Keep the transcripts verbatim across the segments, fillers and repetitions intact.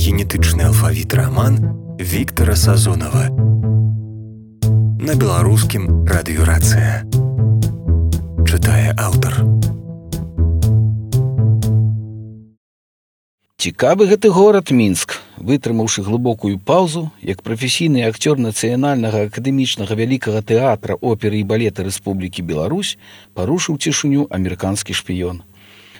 генетычны алфавіт раман Віктара Сазонава. На беларускім радыёрацыя. Чытае аўтар. Цікавы гэты горад Мінск, вытрымаўшы глыбокую паўзу, як прафесійны акцёр нацыянальнага акадэмічнага вялікага тэатра оперы і балета Рэспублікі Беларусь, парушыў цішыню амерыканскі шпіён.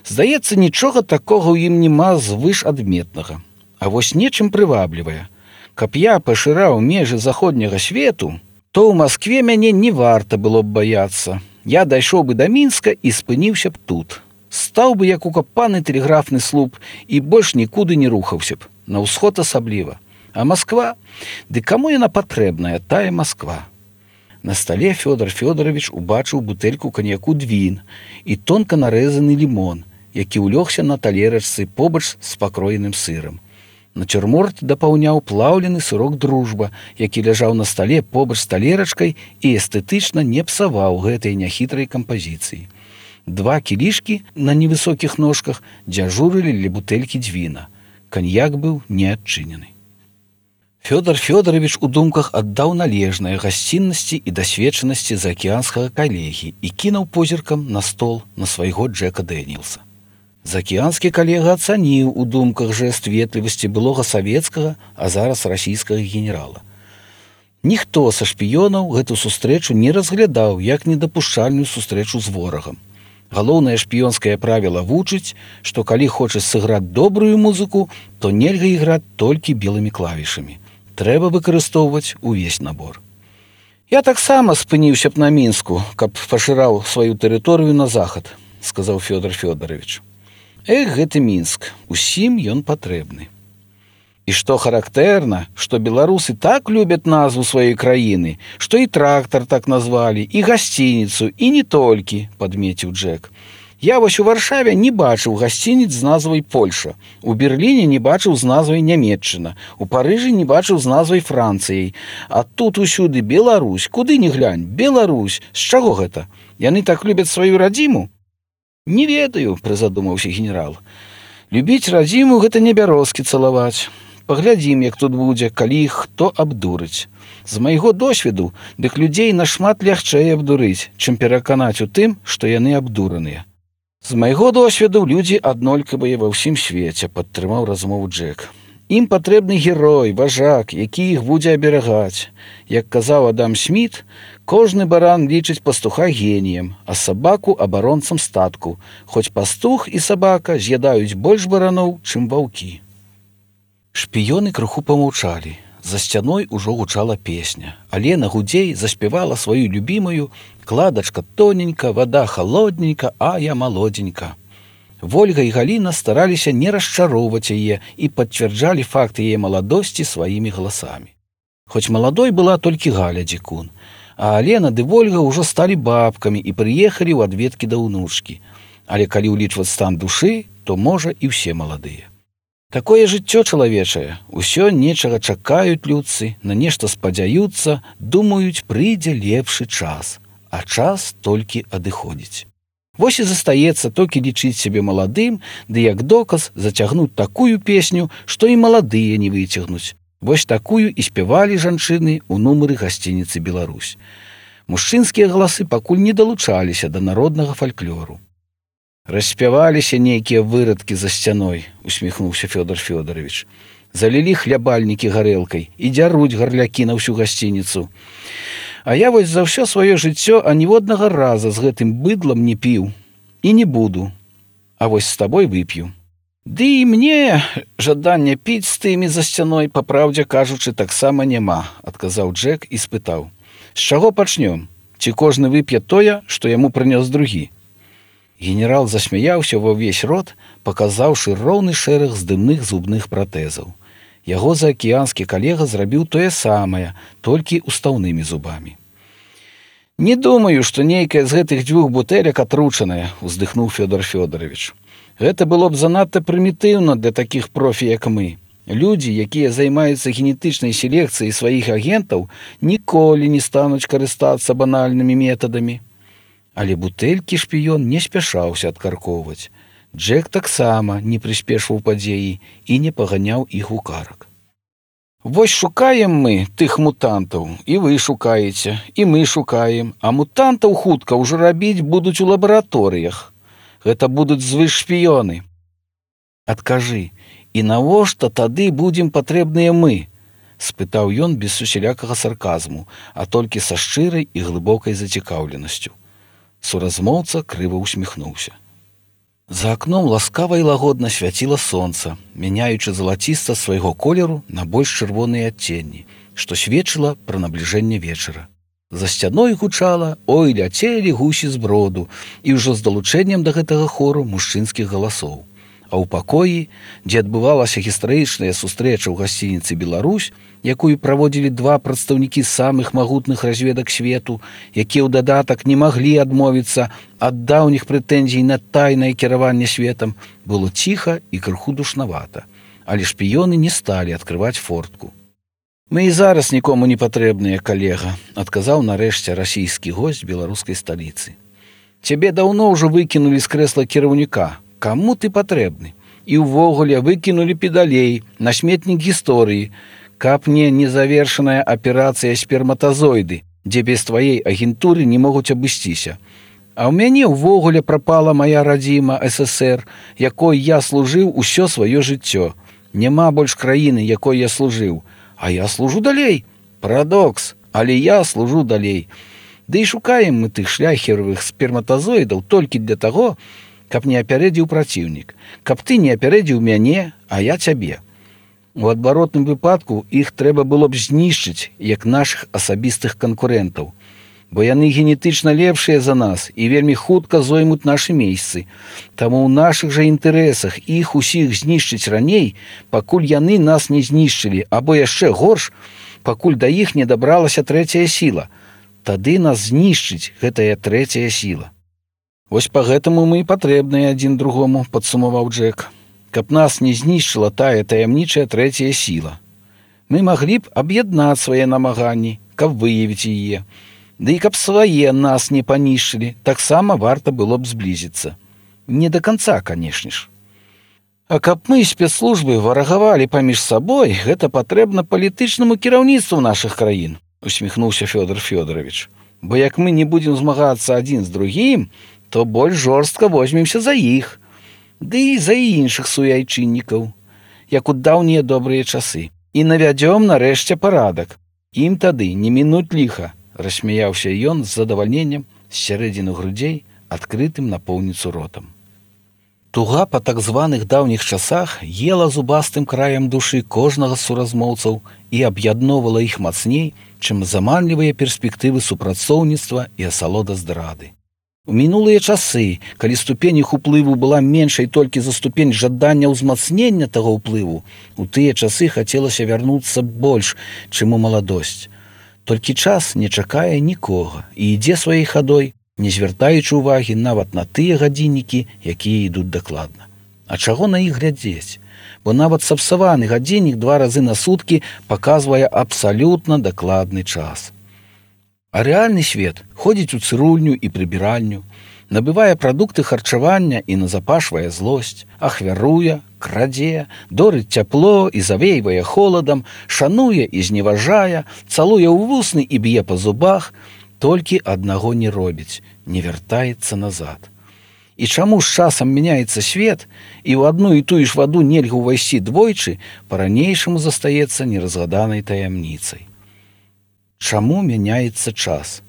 Здаецца, нічога такога ў ім няма звышадметнага. А вось нечым прываблівае. Каб я пашыраў межы заходняга свету, то ў Маскве мяне не варта было б баяцца. Я дайшоў бы да Мінска і спыніўся б тут. Стаў бы як укапаны тэлеграфны слуп і больш нікуды не рухаўся б, на ўсход асабліва. А Масква? Ды каму яна патрэбная, тая Масква? На стале Фёдор Фёдорович убачыў бутэльку каньяку «Двін» і тонка нарэзаны лімон, які ўлёгся на талерачцы побач з пакроеным сырам. Нацюрморт дапаўняў плаўлены сырок «Дружба», які ляжаў на стале побач з талерачкай і эстэтычна не псаваў гэтай няхітрай кампазіцыі. Два кілішкі на невысокіх ножках дзяжурылі ля бутэлькі «Двіна». Каньяк быў не адчынены. Фёдор Фёдорович у думках аддаў належнае гасціннасці і дасведчанасці заакіянскага калегі і кінуў позіркам на стол на свайго Джека Дэнілса. Заакіянскі калега ацаніў у думках жэст ветлівасці былога савецкага, а зараз расійскага генерала. Ніхто са шпіёнаў гэту сустрэчу не разглядаў як недапушчальную сустрэчу з ворагам. Галоўнае шпіёнскае правіла вучыць, што калі хочаш сыграць добрую музыку, то нельга іграць толькі белымі клавішамі. Трэба выкарыстоўваць увесь набор. Я таксама спыніўся б на Мінску, каб пашыраў сваю тэрыторыю на захад, сказаў Фёдор Фёдорович. Эх, гэты Мінск, усім ён патрэбны. І што характэрна, што беларусы так любяць назву сваёй краіны, што і трактар так назвалі, і гасцініцу, і не толькі, падмеціў Джек. Я вось у Варшаве не бачыў гасцініц з назвай Польша, у Берліне не бачыў з назвай Нямецчына, у Парыжы не бачыў з назвай Францыяй, а тут усюды Беларусь, куды ні глянь, Беларусь, з чаго гэта? Яны так любяць сваю радзіму? Не ведаю, прызадумаўся генерал. Любіць радзіму гэта не бярозкі цалаваць. Паглядзім, як тут будзе, калі іх хто абдурыць. З майго досведу, дык людзей нашмат лягчэй абдурыць, чым пераканаць у тым, што яны абдураныя. З майго досведу людзі аднолькавыя ва ўсім свеце, падтрымаў размову Джек. Ім патрэбны герой, важак, які іх будзе аберагаць. Як казаў Адам Сміт, кожны баран лічыць пастуха геніем, а сабаку абаронцам статку, хоць пастух і сабака з'ядаюць больш бараноў, чым ваўкі. Шпіёны крыху памаўчалі. За сцяной ужо гучала песня. Алена Гудзей заспявала сваю любімую «Кладачка тоненька, вада холодненька, а я молоденька». Вольга і Галіна стараліся не расчароўваць яе і пацвярджалі факты яе маладосці сваімі галасамі. Хоць маладой была толькі Галя Дзікун, а Алена ды Вольга ўжо сталі бабкамі і прыехалі ў адведкі да ўнучкі. Але калі ўлічваць стан душы, то, можа, і ўсе маладыя. Такое жыццё чалавечае. Усё нечага чакаюць людцы, на нешта спадзяюцца, думаюць, прыйдзе лепшы час, а час толькі адыходзіць. Вось і застаецца толькі лічыць сябе маладым, ды як доказ зацягнуць такую песню, што і маладыя не выцягнуць. Вось такую і спявалі жанчыны ў нумары гасцініцы «Беларусь». Мужчынскія галасы пакуль не далучаліся да народнага фальклору. Распяваліся нейкія вырадкі за сцяной, усміхнуўся Фёдор Фёдорович. Залілі хлябальнікі гарэлкай і дзяруць гарлякі на ўсю гасцініцу. А я вось за ўсё сваё жыццё аніводнага раза з гэтым быдлам не піў. І не буду. А вось з табой вып'ю. Ды і мне жадання піць з тымі за сцяной, папраўдзе кажучы, таксама няма, адказаў Джек і спытаў. З чаго пачнём? Ці кожны вып'е тое, што яму прынёс другі? Генерал засмяяўся ва ўвесь рот, паказаўшы роўны шэраг здымных зубных пратэзаў. Яго заакіянскі калега зрабіў тое самае, толькі устаўнымі зубамі. «Не думаю, што нейкая з гэтых дзвюх бутэлек атручаная», – уздыхнуў Фёдор Фёдорович. «Гэта было б занадта прымітыўна для такіх профі, як мы. Людзі, якія займаюцца генетычнай селекцыяй сваіх агентаў, ніколі не стануць карыстацца банальнымі метадамі». Але бутэлькі шпіён не спяшаўся адкаркоўваць. Джек таксама не прыспешваў падзеі і не паганяў іх у карак. Вось шукаем мы тых мутантаў, і вы шукаеце, і мы шукаем, а мутантаў хутка ўжо рабіць будуць у лабараторыях. Гэта будуць звышшпіёны. Адкажы, і навошта тады будзем патрэбныя мы? Спытаў ён без усялякага сарказму, а толькі са шчырай і глыбокай зацікаўленасцю. Суразмоўца крыва усміхнуўся. За акном ласкава і лагодна свяціла сонца, мяняючы залаціста свайго колеру на больш чырвоныя адценні, што сведчыла пра набліжэнне вечара. За сцяной гучала «Ой, ляцелі гусі з броду» і ўжо з далучэннем да гэтага хору мужчынскіх галасоў. А ў пакоі, дзе адбывалася гістарычная сустрэча ў гасцініцы «Беларусь», якую праводзілі два прадстаўнікі самых магутных разведак свету, якія ў дадатак не маглі адмовіцца ад даўніх прэтэнзій на тайнае кіраванне светам, было ціха і крыху душнавата, але шпіёны не сталі адкрываць фортку. «Мы і зараз нікому не патрэбныя, калега», адказаў нарэшце расійскі госць беларускай сталіцы. «Цябе даўно ўжо выкінулі з крэсла кіраўніка. Каму ты патрэбны? І ўвогуле выкінулі педалей на сметнік гісторыі, каб не незавершаная аперацыя сперматазоiды, дзе без тваей агентуры не могуць абысціся. А ў мяне ўвогуле прапала мая радзіма ССР, якой я служыў усё сваё жыццё. Няма больш краіны, якой я служыў. А я служу далей. Парадокс, але я служу далей. Ды і шукаем мы тых шляхеравых сперматазоидаў толькі для таго, каб не апярэдзіў праціўнік, каб ты не апярэдзіў мяне, а я цябе. У адваротным выпадку іх трэба было б знішчыць, як нашых асабістых канкурэнтаў, бо яны генетычна лепшыя за нас і вельмі хутка зоймуць нашы месцы. Таму ў нашых жа інтарэсах іх усіх знішчыць раней, пакуль яны нас не знішчылі, або яшчэ горш, пакуль да іх не дабралася трэцяя сіла. Тады нас знішчыць гэтая трэцяя сіла. Вось па гэтаму мы і патрэбныя адзін другому, падсумаваў Джек, каб нас не знішчыла тая таямнічая трэцяя сіла. Мы маглі б аб'яднаць свае намаганні, каб выявіць яе. Ды і каб свае нас не панішчылі, таксама варта было б зблізіцца. Не да канца, канешне ж. А каб мы, спецслужбы, варагавалі паміж сабой, гэта патрэбна палітычнаму кіраўніцтву нашых краін, усміхнуўся Фёдор Фёдорович. Бо як мы не будзем змагацца адзін з другім, то больш жорстка возьмемся за іх, ды і за іншых суайчыннікаў, як у даўнія добрыя часы, і навядзём нарэшце парадак. Ім тады не мінуць ліха, рассмяяўся ён з задавальненнем з сярэдзіны грудзей, адкрытым напоўніцу ротам. Туга па так званых даўніх часах ела зубастым краем душы кожнага з суразмоўцаў і аб'ядноўвала іх мацней, чым заманлівыя перспектывы супрацоўніцтва і асалода здрады. У мінулыя часы, калі ступень іх уплыву была меншай толькі за ступень жадання ўзмацнення таго ўплыву, у тыя часы хацелася вярнуцца больш, чым у маладосць. Толькі час не чакае нікога і ідзе сваёй хадой, не звяртаючы ўвагі нават на тыя гадзіннікі, якія ідуць дакладна. А чаго на іх глядзець? Бо нават сапсаваны гадзіннік два разы на суткі паказвае абсалютна дакладны час. А рэальны свет ходзіць у цырульню і прыбіральню, набывае прадукты харчавання і назапашвае злосць, ахвяруе, крадзе, дорыць цяпло і завейвае холадам, шануе і зневажае, цалуе ў вусны і б'е па зубах, толькі аднаго не робіць, не вяртаецца назад. І чаму з часам мяняецца свет, і ў адну і тую ж ваду нельга ўвайсці двойчы, па-ранейшаму застаецца неразгаданай таямніцай. Чаму мяняецца час?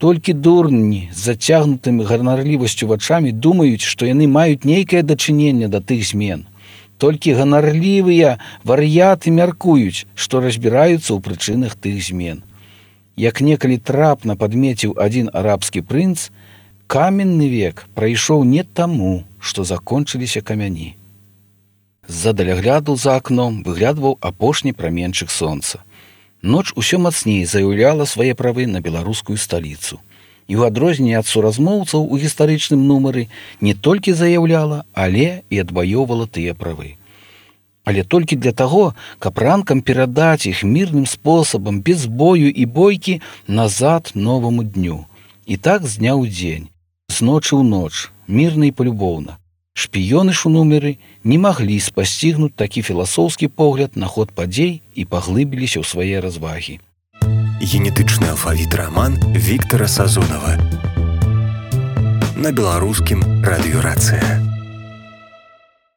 Толькі дурні з зацягнутымі ганарлівасцю вачамі думаюць, што яны маюць нейкае дачыненне да тых змен. Толькі ганарлівыя вар'яты мяркуюць, што разбіраюцца ў прычынах тых змен. Як некалі трапна падмеціў адзін арабскі прынц, каменны век прайшоў не таму, што закончыліся камяні. З-за далягляду за акном выглядваў апошні праменчык сонца. Ноч усё мацней заяўляла свае правы на беларускую сталіцу. І ў адрозненне ад суразмоўцаў у гістарычным нумары не толькі заяўляла, але і адваёўвала тыя правы. Але толькі для таго, каб ранкам перадаць іх мірным спосабам, без бою і бойкі, назад новаму дню. І так з дня ў дзень, з ночы ў ноч, мірна і палюбоўна. Шпіёны ж у нумеры не маглі спасцігнуць такі філасофскі погляд на ход падзей і паглыбіліся ў свае развагі. Генетычны алфавіт раман Віктара Сазонава. На беларускім радыё «Рацыя».